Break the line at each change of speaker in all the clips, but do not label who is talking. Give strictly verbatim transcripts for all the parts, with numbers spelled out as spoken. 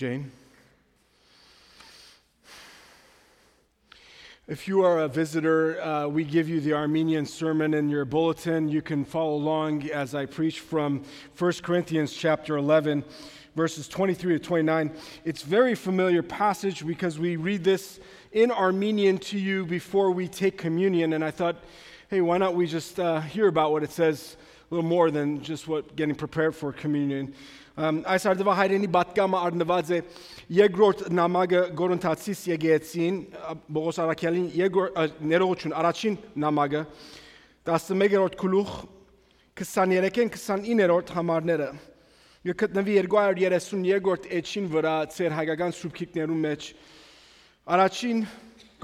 Jane. If you are a visitor, uh, we give you the Armenian sermon in your bulletin. You can follow along as I preach from First Corinthians chapter eleven, verses twenty-three to twenty-nine. It's a very familiar passage because we read this in Armenian to you before we take communion. And I thought, hey, why not we just uh, hear about what it says a little more than just what getting prepared for communion. Այս արդվա հայրենի բատկամը արնված է երկրորդ նամակը Գորընթացիս եկեղեցին Պողոս Արաքյալին ներողություն առաջին նամակը տասնմեկերորդ գլուխ քսաներեքին քսանիններորդ համարները գտնվի երկու հարյուր երեսունյոթերորդ էջին վրա ծեր հայկական սուբքիկներում մեջ առաջին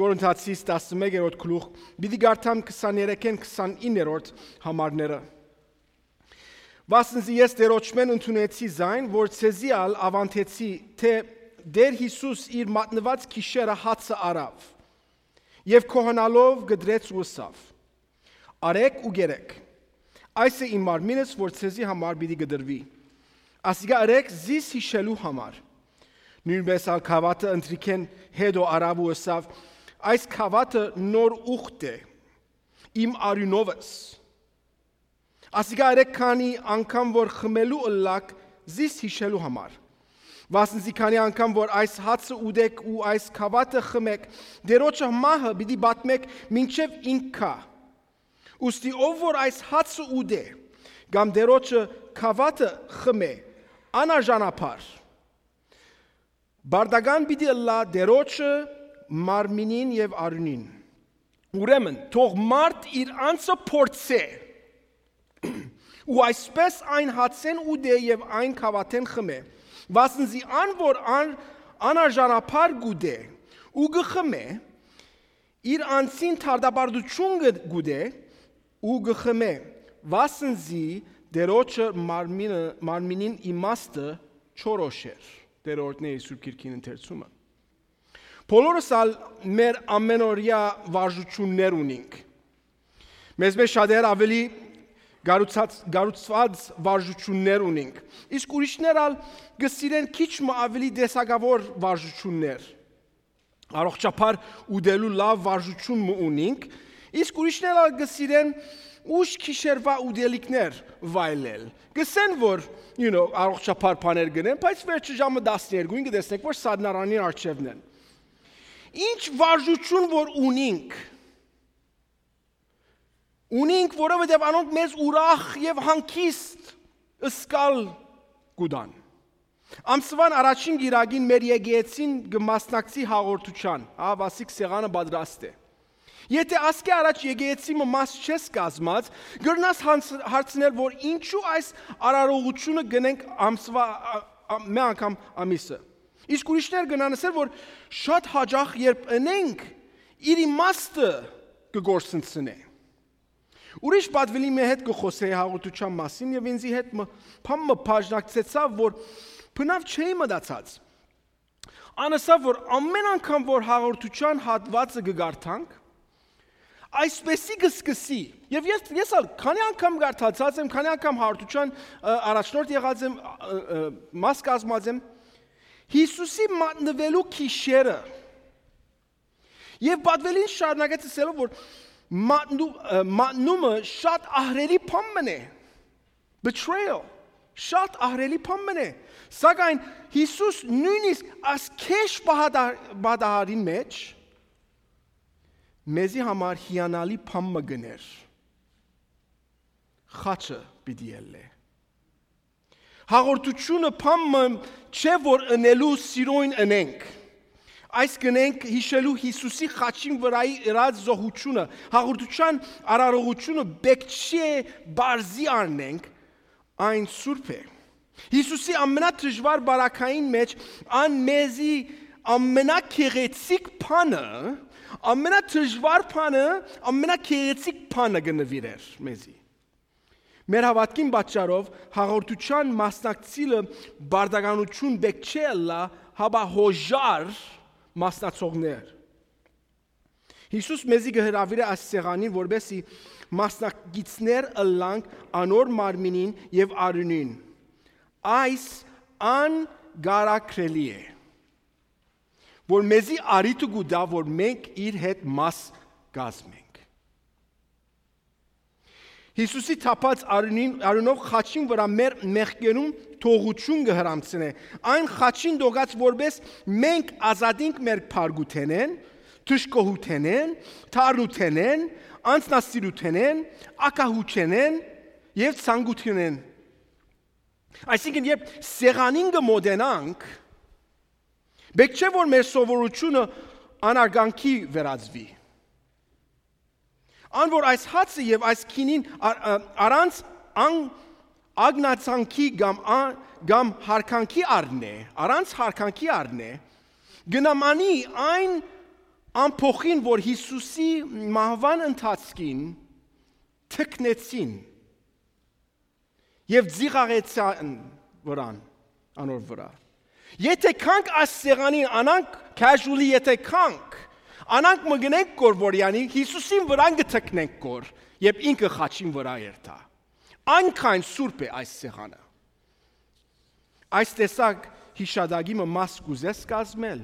Գորընթացիս տասնմեկերորդ գլուխ պիտի գարտամ քսաներեքին քսանիններորդ համարները Վասնզի ես դերոճմեն ընդունեցի զայն, որ ցեզի ալ ավանթեցի, թե Դեր Հիսուս իր մատնված քիշերը հացը արավ, և քոհանալով գդրեց ու ըսավ, արեք ու գերեք, այս է իմ մարմինս, որ ցեզի համար պիտի գդրվի, ասիկա արեք զիս հիշելու համար, նույնպես ալ քավատը ընտրիքեն հետո արավ ու ըսավ, այս քավատը նոր ուխտ է, իմ արյունովս, Ասիկա արեք քանի անգամ որ խմելու ըլլակ զիս հիշելու համար Վասնզի քանի անգամ որ այս հացը ուդեք ու այս քավատը խմեք դերոջը մահը պիտի բատմեք մինչև ինքա Ուստի ով որ այս հացը ուդե կամ դերոջը քավատը խմե անարժանապար Բարդագան պիտի ըլլա դերոջը մարմինին եւ արյունին Ուրեմն թող մարդ իր անձը փորձե ու այսպես այն հացեն ու դե և այն քավաթեն խմե, վասնզի ան որ ան անարժանապար գուդե ու գխմե, իր անցին թարդաբարդություն գուդե ու գխմե, վասնզի դերոջը մարմինին իմաստը չորոշեր, դերորդն է Սուրբ Գիրքին ընթերցումը։ Բոլորս ալ մեր ամենօրյա վարժություններ ունենք։ Մեզ մեջ շատեր ավելի Գարուցված վարժություններ ունենք, իսկ ուրիշներ ալ գսիրեն քիչ մը ավելի դեսագավոր վարժություններ, առողջապար ուդելու լավ վարժություն մը ունենք, իսկ ուրիշներ ալ գսիրեն ուշ քիշերվա ուդելիքներ վայելել, գսեն որ, you know, առողջապար բաներ գնեն, բայց վերջը ժամը տասներկուին կտեսնեք, որ սադնարանին առջևն են։ Ինչ վարժություն որ ունենք, Ունենք, որովհետև անոնք մեզ ուրախ և հանգիստ ըսկալ գուդան։ Ամսվան առաջին գիրագին մեր եկեղեցին կմասնակցի հաղորդության, ավասիկ սեղանը պատրաստ է։ Եթե ասկե առաջ եկեղեցի մաս չես կազմած, գրնաս հարցնել, որ ինչու այս արարողությունը գնենք ամսվա մի անգամ ամիսը։ Իսկ ուրիշներ գնանսել, որ շատ հաճախ երբ ընենք, իր իմաստը կգործընծնե։ Ուրիշ պատվելի մի հետ կխոսեի հաղորդության մասին և ինձի հետ պամը պաժնակցեցավ, որ պնավ չէի մտացած։ Անասավ, որ ամեն անգամ, որ հաղորդության հատվածը կգարթանք, այսպեսի կսկսի, և ես, ես ալ քանի անգամ գարթացած եմ, քանի անգամ հաղորդության առաջնորդ եղած եմ, մաս կազմած եմ, Հիսուսի մատնվելու քիշերը, և պատվելին շարունակեց ասելով, որ Մատնումը շատ ահրելի բան է, betrayal, շատ ահրելի բան է, սակայն Հիսուս նույնիսկ այս քեշ բադահարին մեջ մեզի համար հիանալի բան գներ, խաչը պիտի ելլե։ Հաղորդությունը բան չէ, որ ընելու սիրոյն ընենք, Այս գնենք հիշելու Հիսուսի խաչին վրայի իրած զոհությունը, հաղորդության արարողությունը բեկչի է բարզի արնենք, այն սուրբ է։ Հիսուսի ամենաթժվար բարակային մեջ ան մեզի ամենակեղեցիկ բանը, ամենաթժվար բանը, ամենակեղեցիկ բանը գնվիրեր մեզի։ Մեր հավատքին պատճառով հաղորդության մասնակցելը բարդականություն բեկչի ըլլա, հաբա հոժար մասնացողներ։ Հիսուս մեզի կհրավիրե այս սեղանին, որպեսզի մասնակիցներ ըլլանք անոր մարմինին և արյունին։ Այս ան գարակրելի է, որ մեզի արիթը գուտա, որ մենք իր հետ մաս կազմենք։ Հիսուսի թափած արյունով խաչին վրա մեր մեղքերում թողություն կհրամցնե։ Այն խաչին դոգած որպես մենք ազատենք մեր փարգութենեն, թշկոհութենեն, թարնութենեն, անձնասիրութենեն, ակահուչենեն եւ ցանկութենեն։ Այսինքն երբ սեղանին կմոտենանք, բեք չէ որ մեր սովորությունը անարգանքի վերածվի։ Ան որ այս հացը եւ այս քինին առանց ագնացանքի կամ կամ հարկանքի առնե, առանց հարկանքի առնե, գնամանի այն ամփոխին, որ Հիսուսի մահվան ընթացքին թքնեցին եւ ձիղաղեցան վրան, անոր վրա։ Եթե կանք այս սեղանին անանք casually եթե կանք Անանք մգնենք կոր որյանի, Հիսուսին վրան գթքնենք կոր, և ինքը խաչին վրա երթա։ Այնքան սուրբ է այս սեղանը։ Այս տեսակ հիշադակիմը մաս կուզես կազմել։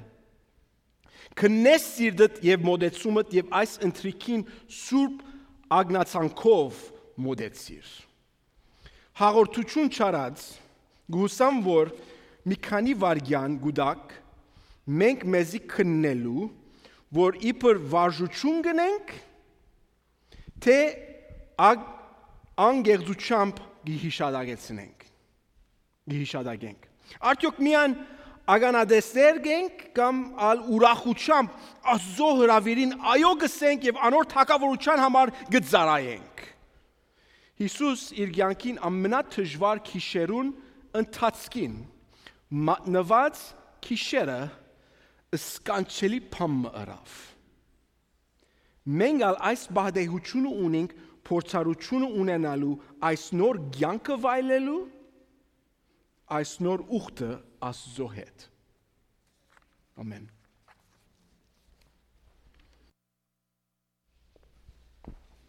Քննես սիրտդ և մոտեցումդ և այս ընթրիքին սուրբ ագնացանքով մոտեցիր։ Հաղորդություն չարած, գուսամ, որ մի քանի վարգյան գուդակ մենք մեզի քննելու որ իբր վարժություն գնենք, թե անգեղձությամբ գիհիշադագեցնենք, գիհիշադագենք։ Արդյոք միան ագանադեսներ գենք կամ ալ ուրախությամբ Աստծո հրավիրին այո գսենք եւ անոր թակավորության համար գծարայենք։ Հիսուս իր կյանքին ամենաթժվար քիշերուն ընթացքին մատնված քիշերը սկանչելի փամը ըրավ։ Մենք ալ այս բադեհությունը ունենք փորձառությունը ունենալու այս նոր կյանքը վայելելու, այս նոր ուխտը Աստծո հետ։ Ամեն։